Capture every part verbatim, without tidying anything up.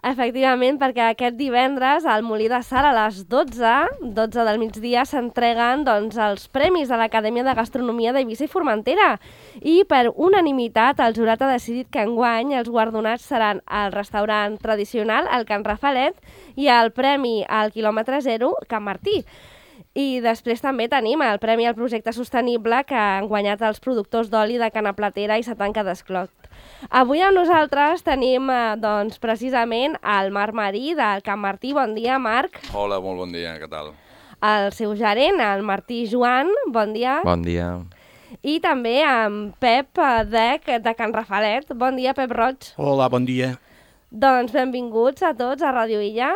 Efectivament, perquè aquest divendres al Molí de Sal a les dotze, dotze del migdia, s'entreguen doncs, els premis de l'Acadèmia de Gastronomia d'Eivissa i Formentera. I per unanimitat el jurat ha decidit que enguany els guardonats seran el restaurant tradicional, el Can Rafalet, i el premi al quilòmetre zero, Can Martí. I després també tenim el Premi al Projecte Sostenible que han guanyat els productors d'oli de Cana Platera i Satanca d'Esclot. Avui amb nosaltres tenim eh, doncs, precisament el Marc Marí del Can Martí. Bon dia, Marc. Hola, molt bon dia, què tal? El seu gerent, el Martí Joan. Bon dia. Bon dia. I també amb Pep Dec de Can Rafalet. Bon dia, Pep Roig. Hola, bon dia. Doncs benvinguts a tots a Ràdio Illa.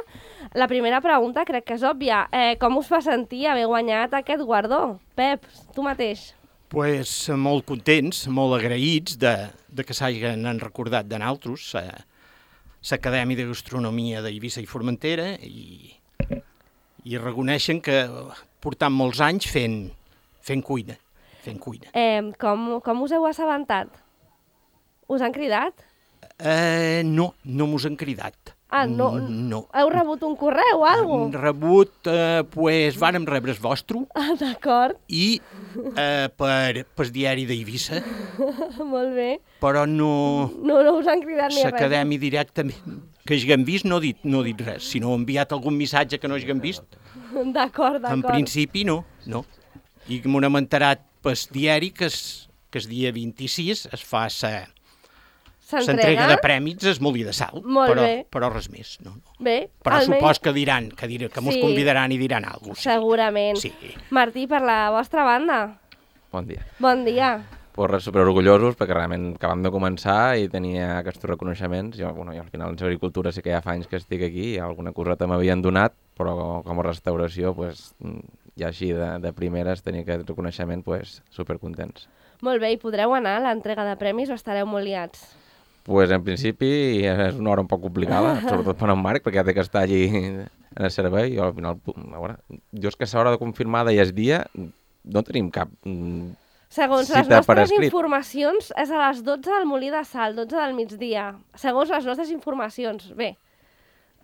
La primera pregunta crec que és òbvia. Eh, com us fa sentir haver guanyat aquest guardó? Pep, tu mateix. Pues molt contents, molt agraïts de, de que s'hagin recordat de nosaltres, l'Acadèmia de Gastronomia d'Eivissa i Formentera, i, i reconeixen que portam molts anys fent, fent cuina. Fent cuina. Eh, com, com us heu assabentat? Us han cridat? Eh, no, no mos han cridat. Ah, no? No. Heu rebut un correu o alguna Hem rebut, eh, pues, vàrem rebre el vostre, Ah, d'acord. i eh, per, per diari d'Eivissa, Molt bé. però no... No, no us han cridat ni res. L'Acadèmia directament, que hagin vist, no ha dit, no ha dit res. Si no ha enviat algun missatge que no hagin vist, D'acord, d'acord. en principi no, no. I m'ho hem enterat pel diari que es, que el dia vint-i-sis es fa sa, s'entrega de prèmits al Molí de Sal, Molt però, bé. però res més. No, no. Bé, Però almenys- supos que diran, que, dir, que mos Sí. convidaran i diran alguna cosa. Segurament. Sí. Martí, per la vostra banda, Bon dia. bon dia. Pues res, superorgullosos perquè realment acabam de començar i tenia aquests reconeixements. Jo, bueno, jo al final en agricultura sí que ja fa anys que estic aquí i alguna coseta m'havien donat, però com a restauració, pues, ja així de, de primeres tenir aquest reconeixement, pues, supercontents. Molt bé, i podreu anar a l'entrega de premis o estareu molt liats? Pues en principi és una hora un poc complicada, sobretot per en Marc, perquè ha de que estar allí en el servei. I al final, a veure, jo és que a l'hora de confirmada i és dia, no tenim cap mm, Segons les cita per nostres escrit. informacions, és a les dotze del Molí de Sal, dotze del migdia. Segons les nostres informacions. Bé,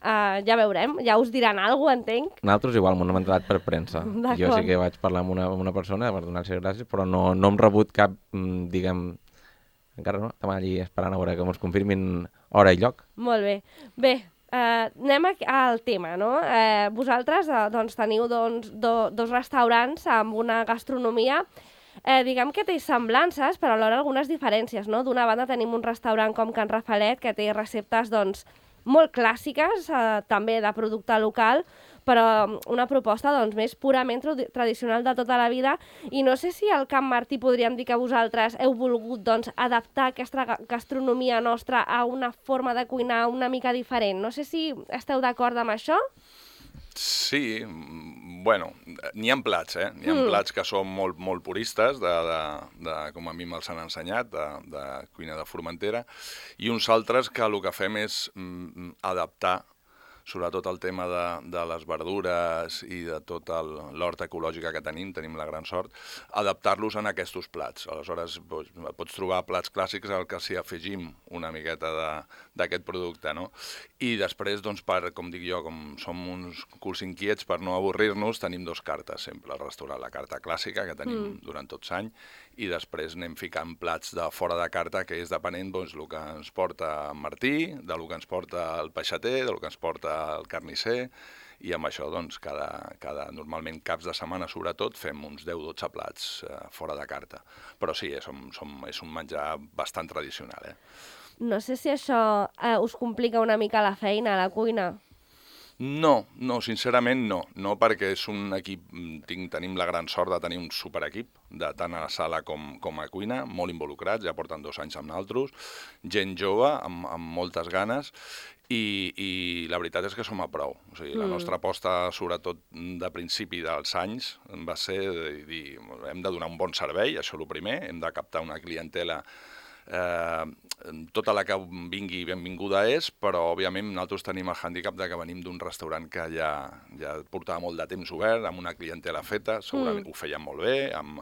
uh, ja veurem, ja us diran alguna cosa, entenc. Nosaltres igual m'ho hem entrat per premsa. Jo D'acord. sí que vaig parlar amb una, amb una persona per donar-li gràcies, però no, no hem rebut cap, mm, diguem, encara no, estem allí esperant a veure que ens confirmin hora i lloc. Molt bé. Bé, eh, anem a- al tema, no? Eh, vosaltres eh, doncs, teniu doncs, do, dos restaurants amb una gastronomia eh, diguem que té semblances, però alhora algunes diferències, no? D'una banda tenim un restaurant com Can Rafalet, que té receptes doncs, molt clàssiques, eh, també de producte local, però una proposta doncs, més purament tradi- tradicional de tota la vida. I no sé si al Can Martí podríem dir que vosaltres heu volgut doncs, adaptar aquesta ga- gastronomia nostra a una forma de cuinar una mica diferent. No sé si esteu d'acord amb això? Sí, mm, bueno, n'hi ha plats, eh? N'hi ha Mm. plats que són molt, molt puristes, de, de, de, com a mi me'ls han ensenyat, de, de cuina de Formentera, i uns altres que el que fem és mm, adaptar sobretot el tema de, de les verdures i de tot el- l'horta ecològica que tenim, tenim la gran sort, adaptar-los en aquests plats. Aleshores, doncs, pots trobar plats clàssics al que s'hi afegim una miqueta de- d'aquest producte, no? I després, doncs, per, com dic jo, com som uns culs inquiets, per no avorrir-nos, tenim dos cartes sempre al restaurant. La carta clàssica, que tenim mm. durant tots anys, i després anem ficant plats de fora de carta, que és depenent doncs, el que ens porta en Martí, de lo que ens porta el peixater, de lo que ens porta el carnisser, i amb això, doncs, cada, cada, normalment caps de setmana, sobretot, fem uns deu dotze plats eh, fora de carta. Però sí, és un, som, és un menjar bastant tradicional, eh? No sé si això eh, us complica una mica la feina a la cuina. No, no, sincerament no. No, perquè és un equip, tinc, tenim la gran sort de tenir un superequip, de tant a la sala com, com a cuina, molt involucrats, ja porten dos anys amb nosaltres, gent jove, amb, amb moltes ganes, i, i la veritat és que som a prou. O sigui, la Mm. nostra aposta, sobretot de principi dels anys, va ser de dir, hem de donar un bon servei, això és el primer, hem de captar una clientela eh, tota la que vingui benvinguda és, però òbviament nosaltres tenim el hàndicap de que venim d'un restaurant que ja, ja portava molt de temps obert, amb una clientela feta, segurament mm. ho feien molt bé, amb,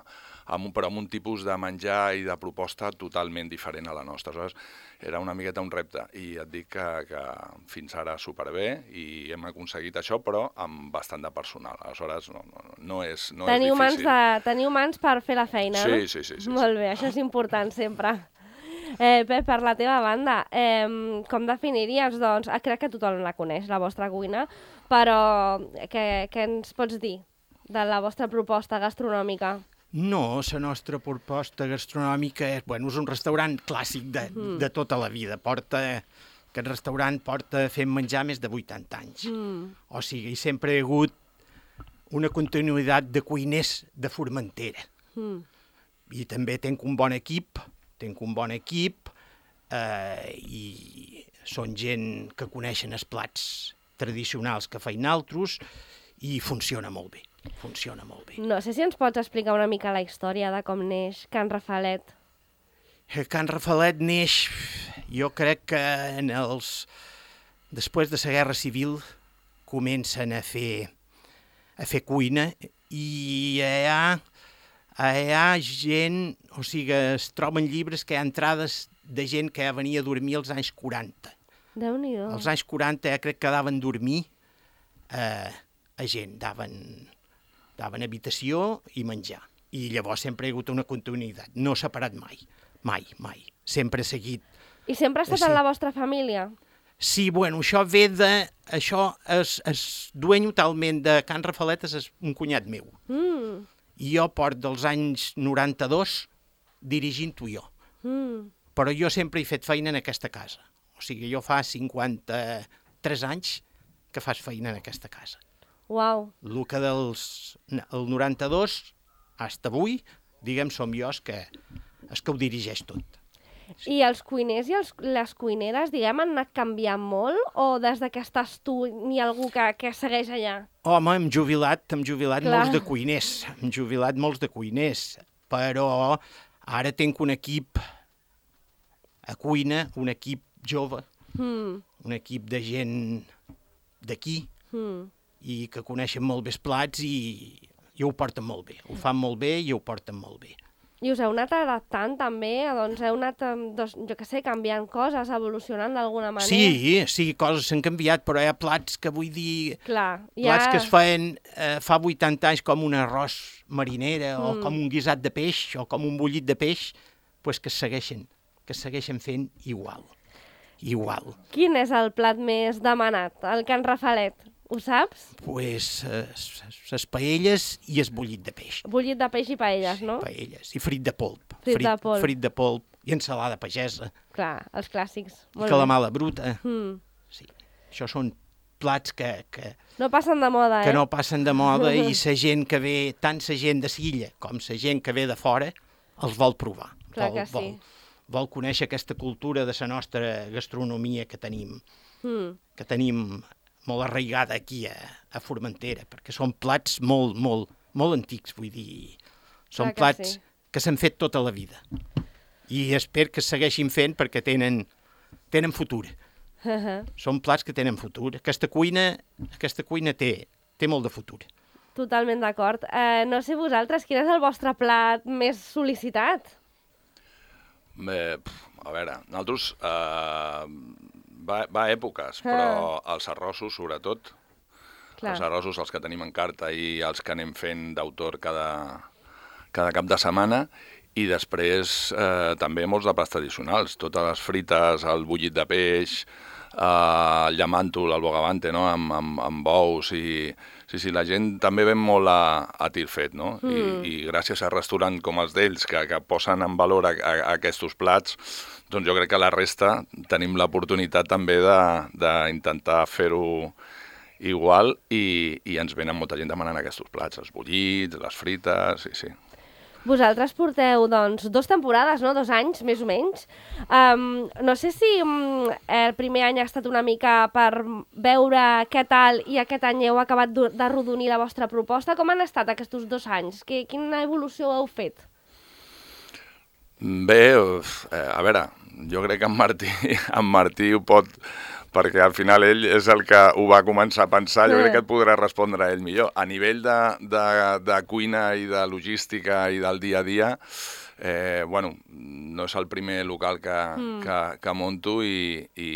amb un, però amb un tipus de menjar i de proposta totalment diferent a la nostra. Aleshores, era una miqueta un repte, i et dic que, que fins ara superbé, i hem aconseguit això, però amb bastant de personal. Aleshores, no, no, no, és, no teniu és difícil. Mans de, teniu mans per fer la feina, sí, no? Sí, sí, sí. Molt sí. bé, això és important sempre. Eh, Pep, per la teva banda, eh, com definiries, doncs, ah, crec que tothom la coneix, la vostra cuina, però què, què ens pots dir de la vostra proposta gastronòmica? No, la nostra proposta gastronòmica és, bueno, és un restaurant clàssic de, mm. de tota la vida. Porta, aquest restaurant porta fent menjar més de vuitanta anys. Mm. O sigui, sempre hi ha hagut una continuïtat de cuiners de Formentera. Mm. I també tenc un bon equip, tenc un bon equip eh, i són gent que coneixen els plats tradicionals que feien altres i funciona molt bé, funciona molt bé. No sé si ens pots explicar una mica la història de com neix Can Rafalet. Can Rafalet neix, jo crec que en els... després de la Guerra Civil comencen a fer, a fer cuina i hi ha... Hi ha gent, o sigui, es troben llibres que hi ha entrades de gent que ja venia a dormir als anys quaranta. Déu-n'hi-do. Als anys quaranta ja crec que daven dormir eh, a gent, daven, daven habitació i menjar. I llavors sempre hi ha hagut una continuïtat, no s'ha parat mai, mai, mai. Sempre ha seguit. I sempre ha estat sí. en la vostra família? Sí, bueno, això ve de... Això es, es dueny totalment de Can Rafalet, és un cunyat meu. Mm. I jo port dels anys noranta-dos dirigint-ho jo. Mm. Però jo sempre he fet feina en aquesta casa. O sigui, jo fa cinquanta-tres anys que fas feina en aquesta casa. Uau. El que dels... El noranta-dos, fins avui, diguem, som jo els que, els que ho dirigeix tot. I els cuiners i els, les cuineres, diguem, han anat canviant molt? O des que estàs tu n'hi ha algú que, que segueix allà? Home, hem jubilat, hem jubilat Clar. molts de cuiners. Hem jubilat molts de cuiners. Però ara tinc un equip a cuina, un equip jove, mm. un equip de gent d'aquí, mm. i que coneixen molt bé els plats i, i ho porten molt bé. Ho fan molt bé i ho porten molt bé. I us heu anat adaptant també? Doncs heu anat, doncs, jo què sé, canviant coses, evolucionant d'alguna manera? Sí, sí, coses s'han canviat, però hi ha plats que vull dir... Clar, plats ja... que es feien eh, fa vuitanta anys com un arròs marinera mm. o com un guisat de peix o com un bullit de peix, pues que es segueixen, que es segueixen fent igual, igual. Quin és el plat més demanat, el Can Rafalet? Ho saps? Pues les paelles i el bullit de peix. Bullit de peix i paelles, no? Paelles i frit de polp. Frit, frit de polp. Frit de polp i ensalada pagesa. Clar, els clàssics. I calamala bruta. Mm. Sí. Això són plats que... que no passen de moda, eh? Que no passen de moda i la gent que ve, tant la gent de Silla com la gent que ve de fora, els vol provar. Clar vol, que sí. Vol, vol conèixer aquesta cultura de la nostra gastronomia que tenim. Mm. Que tenim... molt arraigada aquí a, a Formentera, perquè són plats molt, molt, molt antics, vull dir. Són Clar que plats sí. que s'han fet tota la vida. I espero que es segueixin fent perquè tenen, tenen futur. Uh -huh. Són plats que tenen futur. Aquesta cuina, aquesta cuina té, té molt de futur. Totalment d'acord. Eh, no sé vosaltres, quin és el vostre plat més sol·licitat? Bé, a veure, nosaltres... Eh... Va, va a èpoques, ah. però els arrossos, sobretot, Clar. els arrossos, els que tenim en carta i els que anem fent d'autor cada, cada cap de setmana, i després eh, també molts de plats tradicionals, totes les frites, el bullit de peix, eh, el llamàntol, el bogavante, no?, amb, amb, amb bous, i sí, sí, la gent també ven molt a, a tir fet, no? Mm. I, I gràcies a restaurants com els d'ells, que, que posen en valor a, a, a aquests plats, doncs jo crec que la resta tenim l'oportunitat també d'intentar fer-ho igual i, i ens venen molta gent demanant aquests plats, els bullits, les frites, sí, sí. Vosaltres porteu, doncs, dos temporades, no? Dos anys, més o menys. Um, no sé si um, el primer any ha estat una mica per veure què tal i aquest any heu acabat d'arrodonir la vostra proposta. Com han estat aquests dos anys? Que, quina evolució heu fet? Bé, eh, a veure, jo crec que en Martí, en Martí ho pot, perquè al final ell és el que ho va començar a pensar, jo crec que et podrà respondre a ell millor. A nivell de, de, de cuina i de logística i del dia a dia, eh, bueno, no és el primer local que, mm. que, que monto i, i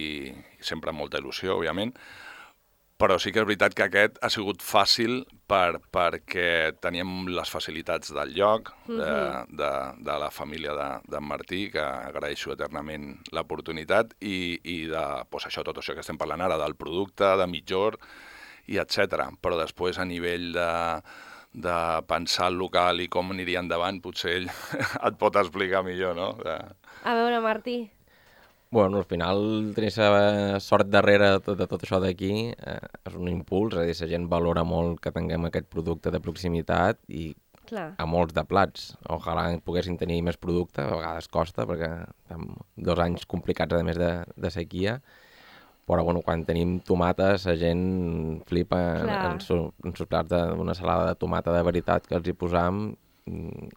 sempre amb molta il·lusió, òbviament, però sí que és veritat que aquest ha sigut fàcil per, perquè teníem les facilitats del lloc, de, mm-hmm. de, de la família d'en de, de Martí, que agraeixo eternament l'oportunitat, i, i de pues, això, tot això que estem parlant ara, del producte, de mitjor, i etcètera. Però després, a nivell de, de pensar el local i com aniria endavant, potser ell et pot explicar millor, no? De... A veure, Martí. Bueno, al final tenir la sort darrere de tot, de tot això d'aquí eh, és un impuls, és a dir, la gent valora molt que tinguem aquest producte de proximitat i Clar. A molts de plats. Ojalà poguessin tenir més producte, a vegades costa, perquè estem dos anys complicats a més de, de sequia, però bueno, quan tenim tomates la gent flipa en, en, su, en sus plats d'una salada de tomata de veritat que els hi posam.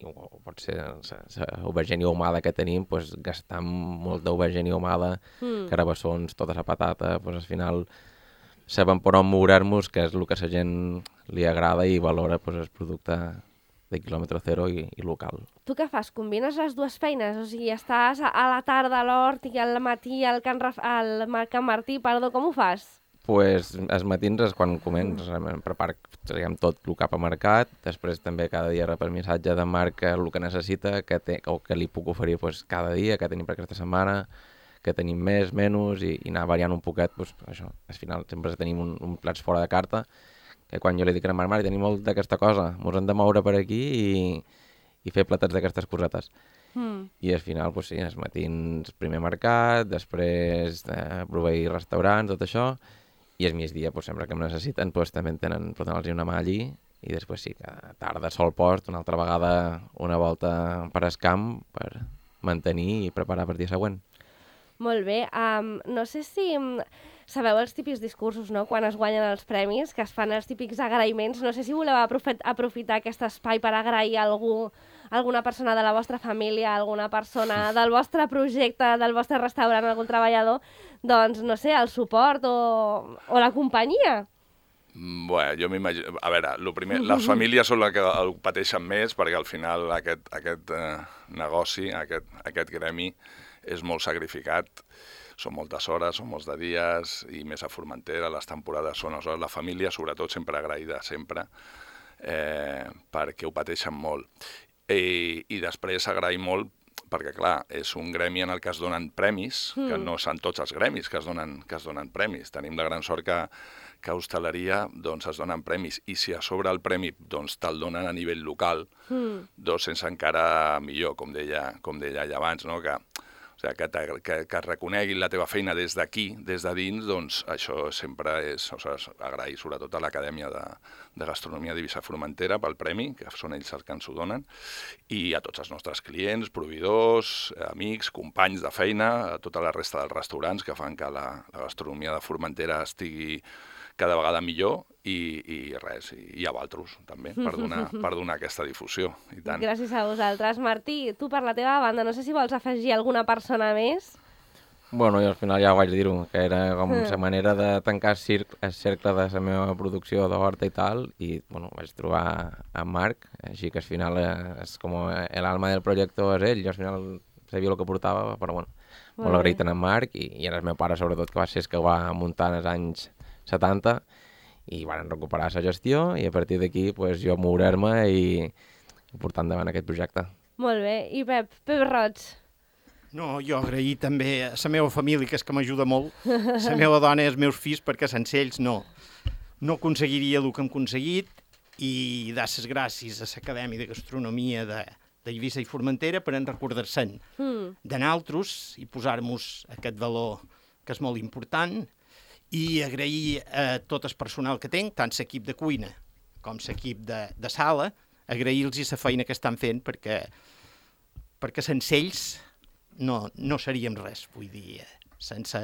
O pot ser l'aubergínia ahumada que tenim, pues, gastar molt d'aubergínia ahumada, mm. carabassons, tota la patata, pues, al final sabem per on moure-nos, que és el que a la gent li agrada i valora pues, el producte de quilòmetre zero i, i local. Tu què fas? Combines les dues feines? O sigui, estàs a la tarda a l'hort i al matí al Can, Raf... al Can Martí, perdó, com ho fas? Pues, els matins és quan començ, preparo diguem, tot el cap a mercat, després també cada dia rep el missatge de Marc el que necessita, que té, o que li puc oferir pues, cada dia, que tenim per aquesta setmana, que tenim més, menys, i, i anar variant un poquet, pues, això, al final sempre tenim un, un plats fora de carta, que quan jo li dic a Marc, Marc, tenim molt d'aquesta cosa, ens hem de moure per aquí i, i fer platats d'aquestes cosetes. Mm. I al final, pues, sí, els matins primer mercat, després eh, proveir restaurants, tot això, i el migdia, pues, sempre que em necessiten, pues, també en tenen, poden els una mà allí, i després sí, que tarda sol post, una altra vegada una volta per el camp per mantenir i preparar per dia següent. Molt bé. Um, no sé si sabeu els típics discursos, no?, quan es guanyen els premis, que es fan els típics agraïments. No sé si voleu aprofit aprofitar aquest espai per agrair a algú, alguna persona de la vostra família, alguna persona del vostre projecte, del vostre restaurant, algun treballador, doncs, no sé, el suport o, o la companyia. Bé, jo m'imagino... A veure, lo primer, les famílies són les que el pateixen més, perquè al final aquest, aquest eh, negoci, aquest, aquest gremi, és molt sacrificat. Són moltes hores, són molts de dies, i més a Formentera, les temporades són hores. La família, sobretot, sempre agraïda, sempre, eh, perquè ho pateixen molt. I, i després agrair molt perquè, clar, és un gremi en el que es donen premis, mm. que no són tots els gremis que es donen, que es donen premis. Tenim la gran sort que, que a hostaleria doncs, es donen premis, i si a sobre el premi doncs, te'l donen a nivell local, mm. doncs sense encara millor, com deia, com deia ella abans, no? que, o sigui, que, que, que reconeguin la teva feina des d'aquí, des de dins, doncs això sempre és, o sigui, agrair sobretot a l'Acadèmia de, de Gastronomia d'Eivissa Formentera pel premi, que són ells els que ens ho donen, i a tots els nostres clients, proveïdors, amics, companys de feina, a tota la resta dels restaurants que fan que la, la gastronomia de Formentera estigui cada vegada millor, i, i res, i, i a vosaltres també, per donar, per donar aquesta difusió. I tant. Gràcies a vosaltres. Martí, tu per la teva banda, no sé si vols afegir alguna persona més? Bueno, jo al final ja ho vaig dir-ho, que era com la manera de tancar el cercle, el cercle de la meva producció d'horta i tal, i bueno, vaig trobar a Marc, així que al final és com l'alma del projecte és ell, jo al final sabia el que portava, però bueno, molt, molt agraït a en Marc, i, i el meu pare sobretot, que va ser el que ho va muntar en els anys setanta, i van recuperar la gestió, i a partir d'aquí pues, jo moure-me i portar endavant aquest projecte. Molt bé. I Pep, Pep Roig? No, jo agrair també a la meva família, que és que m'ajuda molt, la meva dona i els meus fills, perquè sense ells no, no aconseguiria el que hem aconseguit, i dar les gràcies a l'Acadèmia de Gastronomia de, d'Eivissa i Formentera per en recordar-se'n mm. de naltros i posar-nos aquest valor que és molt important, i agrair a tot el personal que tinc, tant l'equip de cuina com l'equip de, de sala, agrair-los la feina que estan fent, perquè, perquè sense ells no, no seríem res, vull dir, sense,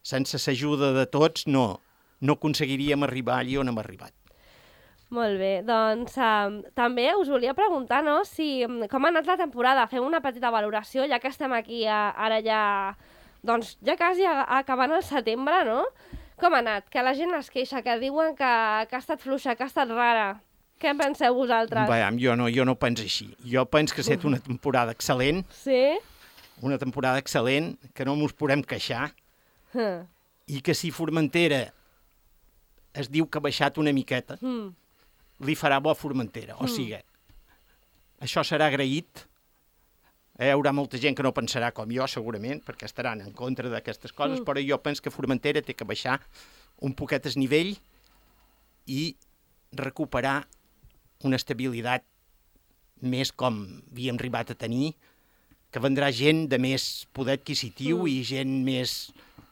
sense l'ajuda de tots no, no aconseguiríem arribar allà on hem arribat. Molt bé, doncs um, també us volia preguntar, no?, si, com ha anat la temporada. Fem una petita valoració, ja que estem aquí a, ara ja, doncs ja quasi a, acabant el setembre, no? Com ha anat? Que la gent es queixa, que diuen que, que ha estat fluixa, que ha estat rara. Què en penseu vosaltres? Veiem, jo no, jo no penso així. Jo penso que ha estat una temporada excel·lent, Sí? una temporada excel·lent, que no mos podem queixar, Huh. i que si Formentera es diu que ha baixat una miqueta, Mm. li farà bo a Formentera. O sigui, això serà agraït. Hi haurà molta gent que no pensarà com jo, segurament, perquè estaran en contra d'aquestes coses, Mm. però jo penso que Formentera té que baixar un poquet el nivell i recuperar una estabilitat més com havíem arribat a tenir, que vendrà gent de més poder adquisitiu Mm. i gent més...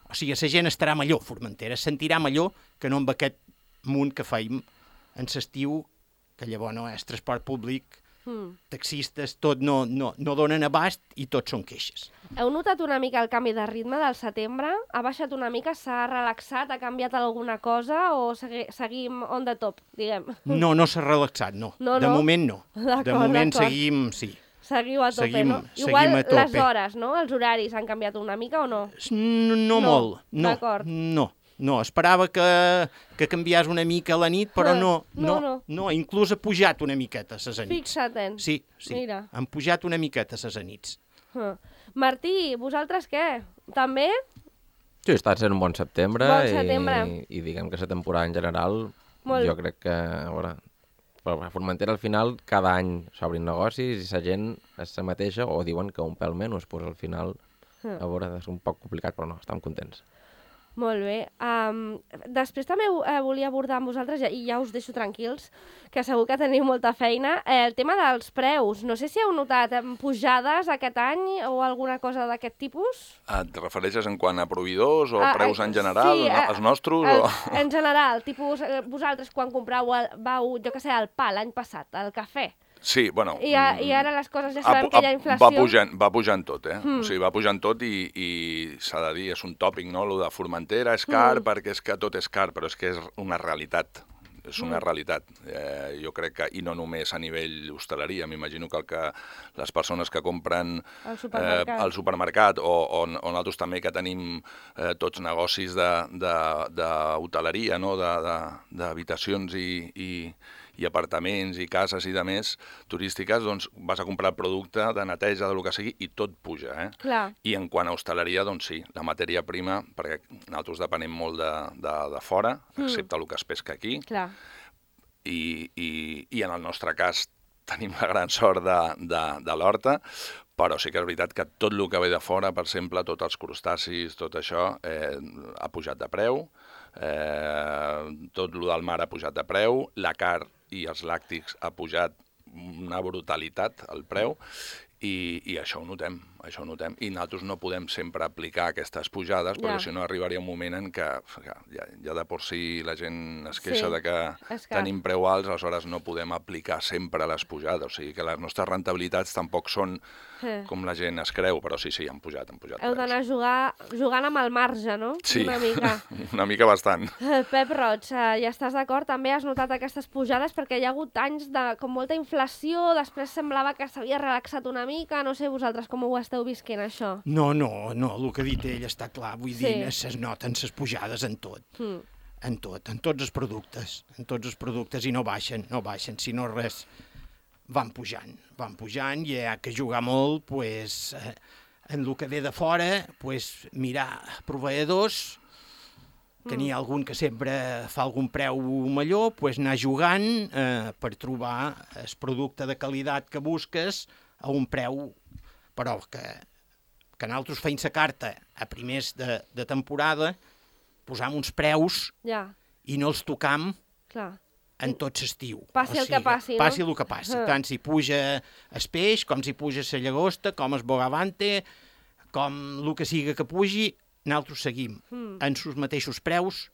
O sigui, la gent estarà millor, Formentera, es sentirà millor que no amb aquest munt que feim en l'estiu, que llavors no és transport públic, Mm. taxistes, tot no, no, no donen abast i tots són queixes. Heu notat una mica el canvi de ritme del setembre? Ha baixat una mica, s'ha relaxat, ha canviat alguna cosa o segui, seguim on the top, diguem? No, no s'ha relaxat, no. No, De no? moment no. D'acord, De moment d'acord. seguim, sí. Seguiu a tope, Seguim- no? seguim Igual a tope. les hores, no? Els horaris han canviat una mica o no? No, no, No, molt, no, d'acord. no. No, esperava que, que canviés una mica a la nit, però Ah, no, no, no, no. no, inclús ha pujat una miqueta a les anits. Fixa't-en. Sí, sí, Mira. han pujat una miqueta a les anits. Ah. Martí, vosaltres què? També? Sí, està sent un bon setembre, Bon setembre. I, i diguem que la temporada en general, Molt. jo crec que, a veure, a Formentera al final cada any s'obrin negocis i la gent és la mateixa o diuen que un pèl menys, doncs al final, Ah. a veure, és un poc complicat, però no, estem contents. Molt bé. Um, després també eh, volia abordar amb vosaltres, i ja us deixo tranquils, que segur que teniu molta feina, eh, el tema dels preus. No sé si heu notat eh, pujades aquest any o alguna cosa d'aquest tipus? Et refereixes en quant a proveïdors o Ah, preus eh, en general, sí, no? eh, Els nostres? El, O... en general, tipus, eh, vosaltres quan comprau el, vau, jo que sé, el pa l'any passat, el cafè, Sí, bueno... i, a, i ara les coses ja ha sabem pu- que hi ha ha- inflació. Va pujant, va pujant tot, eh? Mm. O sigui, va pujant tot i, i s'ha de dir, és un tòpic, no?, lo de Formentera és car Mm. perquè és que tot és car, però és que és una realitat. És una Mm. realitat. Eh, jo crec que, i no només a nivell hostaleria, m'imagino que el que les persones que compren Al supermercat. eh, al supermercat o, o, o nosaltres també que tenim eh, tots negocis d'hoteleria, no?, de- de- d'habitacions i, i, i apartaments i cases i de més turístiques, doncs vas a comprar producte de neteja, de lo que sigui, i tot puja, eh? Clar, I en quant a hostaleria, doncs sí, la matèria prima, perquè nosaltres depenem molt de, de, de fora, Mm. excepte el que es pesca aquí, clar. i, i, i en el nostre cas tenim la gran sort de, de, de l'horta, però sí que és veritat que tot el que ve de fora, per exemple, tots els crustacis, tot això, eh, ha pujat de preu, eh, tot el del mar ha pujat de preu, la carn i els làctics ha pujat una brutalitat el preu, i, i això ho notem, això ho notem. I nosaltres no podem sempre aplicar aquestes pujades, perquè Ja. si no arribaria un moment en què ja, ja de por si la gent es queixa Sí, de que és car. tenim preu alts, aleshores no podem aplicar sempre les pujades. O sigui que les nostres rentabilitats tampoc són Eh. com la gent es creu, però sí, sí, han pujat, han pujat Heu preus. d'anar a jugar, jugant amb el marge, no? Sí, Una mica. una mica bastant. Eh, Pep Roig, eh, ja estàs d'acord? També has notat aquestes pujades perquè hi ha hagut anys de com molta inflació, després semblava que s'havia relaxat una mica, no sé vosaltres com ho esteu visquent, això. No, no, no, el que ha dit ell està clar, vull Sí. dir, es noten les pujades en tot, Mm. en tot, en tots els productes, en tots els productes, i no baixen, no baixen, si no res, van pujant, van pujant, i hi ha que jugar molt, pues, eh, en el que ve de fora, pues, mirar proveïdors, que n'hi ha algun que sempre fa algun preu millor, pues, anar jugant eh, per trobar el producte de qualitat que busques a un preu, però que, que nosaltres feim la carta a primers de, de temporada, posam uns preus Ja, i no els tocam clar. en tot l'estiu. Passi el que passi, no? Passi el que passi. Ah. Tant si puja el peix, com si puja la llagosta, com el bogavante, com el que siga que pugi, nosaltres seguim Mm. en els mateixos preus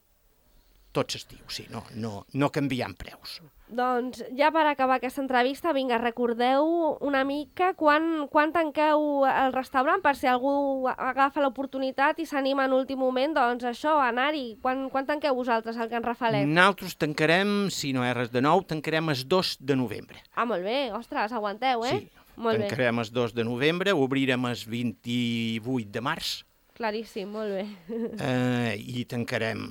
tot l'estiu, sí, no, no, no canviant preus. Doncs ja per acabar aquesta entrevista, vinga, recordeu una mica quan, quan tanqueu el restaurant, per si algú agafa l'oportunitat i s'anima en últim moment, doncs això, anar-hi. Quan, quan tanqueu vosaltres el Can Rafalet? Nosaltres tancarem, si no hi ha res de nou, tancarem el dos de novembre. Ah, molt bé, ostres, aguanteu, eh? Sí, molt tancarem el dos de novembre, obrirem el vint-i-vuit de març. Claríssim, molt bé. Eh, I tancarem...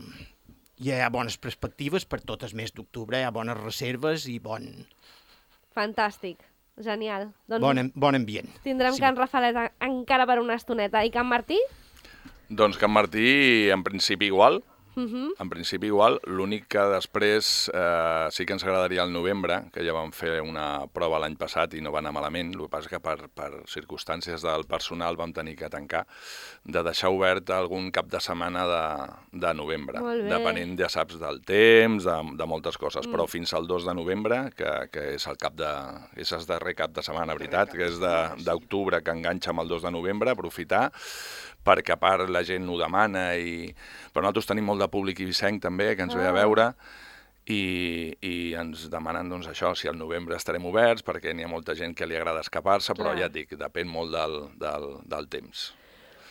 Ja hi ha bones perspectives per tot el mes d'octubre, hi ha bones reserves i bon... Fantàstic, genial. Doncs bon, bon ambient. Tindrem sí. Can Rafalet encara per una estoneta. I Can Martí? Doncs Can Martí, en principi igual. Uh -huh. En principi igual, l'únic que després eh, sí que ens agradaria el novembre, que ja vam fer una prova l'any passat i no va anar malament, el que passa que per, per circumstàncies del personal vam tenir que tancar, de deixar obert algun cap de setmana de, de novembre, depenent, ja saps, del temps, de, de moltes coses, mm. però fins al dos de novembre, que, que és el cap de, és el darrer cap de setmana, veritat, que és d'octubre, que enganxa amb el dos de novembre, aprofitar, perquè a part la gent ho demana, i... però nosaltres tenim molt de públic ibicenc també, que ens ve a veure, i, i ens demanen doncs, això, si al novembre estarem oberts, perquè n'hi ha molta gent que li agrada escapar-se, però ja et dic, depèn molt del, del, del temps.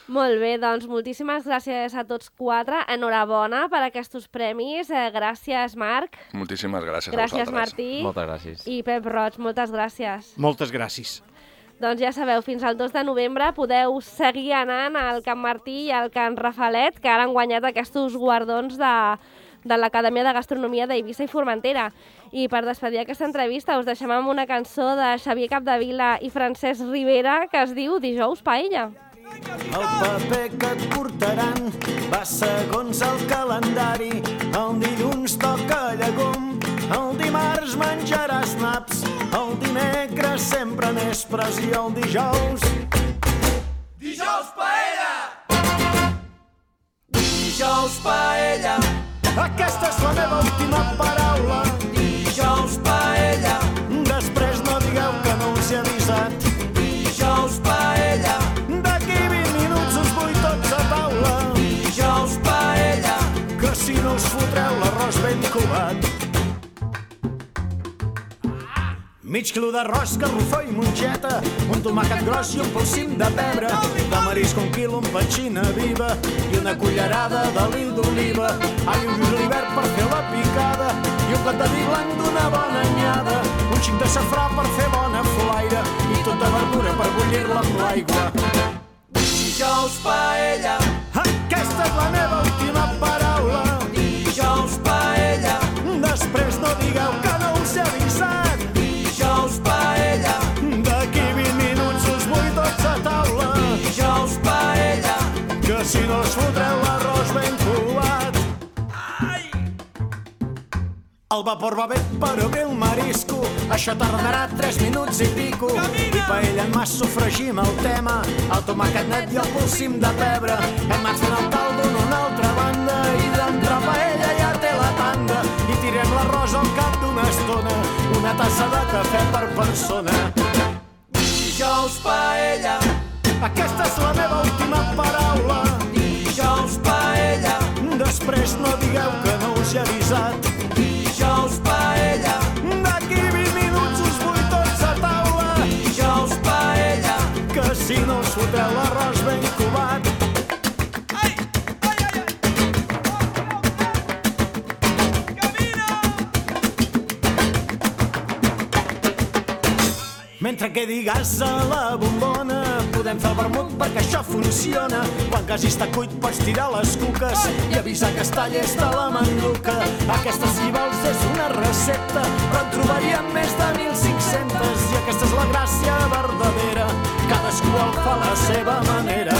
Molt bé, doncs moltíssimes gràcies a tots quatre, enhorabona per aquests premis, eh, gràcies Marc. Moltíssimes gràcies, gràcies a vosaltres. Martí. Moltes gràcies. I Pep Roig, moltes gràcies. Moltes gràcies. Doncs ja sabeu, fins al dos de novembre podeu seguir anant al Can Martí i al Can Rafalet, que ara han guanyat aquests guardons de, de l'Acadèmia de Gastronomia d'Eivissa i Formentera. I per despedir aquesta entrevista us deixem amb una cançó de Xavier Capdevila i Francesc Rivera que es diu Dijous Paella. El paper que et portaran va segons el calendari. El dilluns toca llegum, el dimarts menjaràs naps, el dimecres sempre més pressió, el dijous... Dijous paella! Dijous paella! Aquesta és la meva última paraula. Dijous paella! Després no digueu que no us he avisat. Dijous paella! D'aquí vint minuts us vull tots a taula. Dijous paella! Que si no us fotreu l'arròs ben covat. Mig quilo d'arròs, garrofó i mongeta, un tomàquet gros i un polsim de pebre, de marisc un quilo amb petxina viva i una cullerada d'oli d'oliva, all i un julivert per fer la picada i un got de vi blanc d'una bona anyada, un xic de safrà per fer bona flaire i tota verdura per bullir-la amb l'aigua. Dijous paella! Aquesta és la meva última paraula. Dijous paella! Després no digueu que no us he avisat. Dijous paella! D'aquí vint minuts us vull tots a taula. Dijous paella! Que si no us fotreu l'arròs ben covat. Ai! El vapor va bé, però bé el marisco. Això tardarà tres minuts i pico. I paella en mas sofregim el tema, el tomàquet net i el polsim de pebre. Hem anat fent el caldo en una altra banda i d'entre paella ja té la tanda. I tirem l'arròs al cap d'una estona, una tassa de cafè per persona. Dijous paella! Aquesta és la meva última paraula. Dijous paella! Després no digueu que no us he avisat. Dijous paella! D'aquí vint minuts us vull tots a taula. Dijous paella! Que si no us fotreu l'arròs ben covat. Ai! Ai, ai, ai! Camina! Mentre quedi gas a la bombona, podem fer el vermut perquè això funciona. Quan quasi està cuit pots tirar les cuques i avisar que està llesta la manduca. Aquesta, si vols, és una recepta, però en trobaríem més de mil cinc-centes i aquesta és la gràcia verdadera. Cadascú el fa a la seva manera.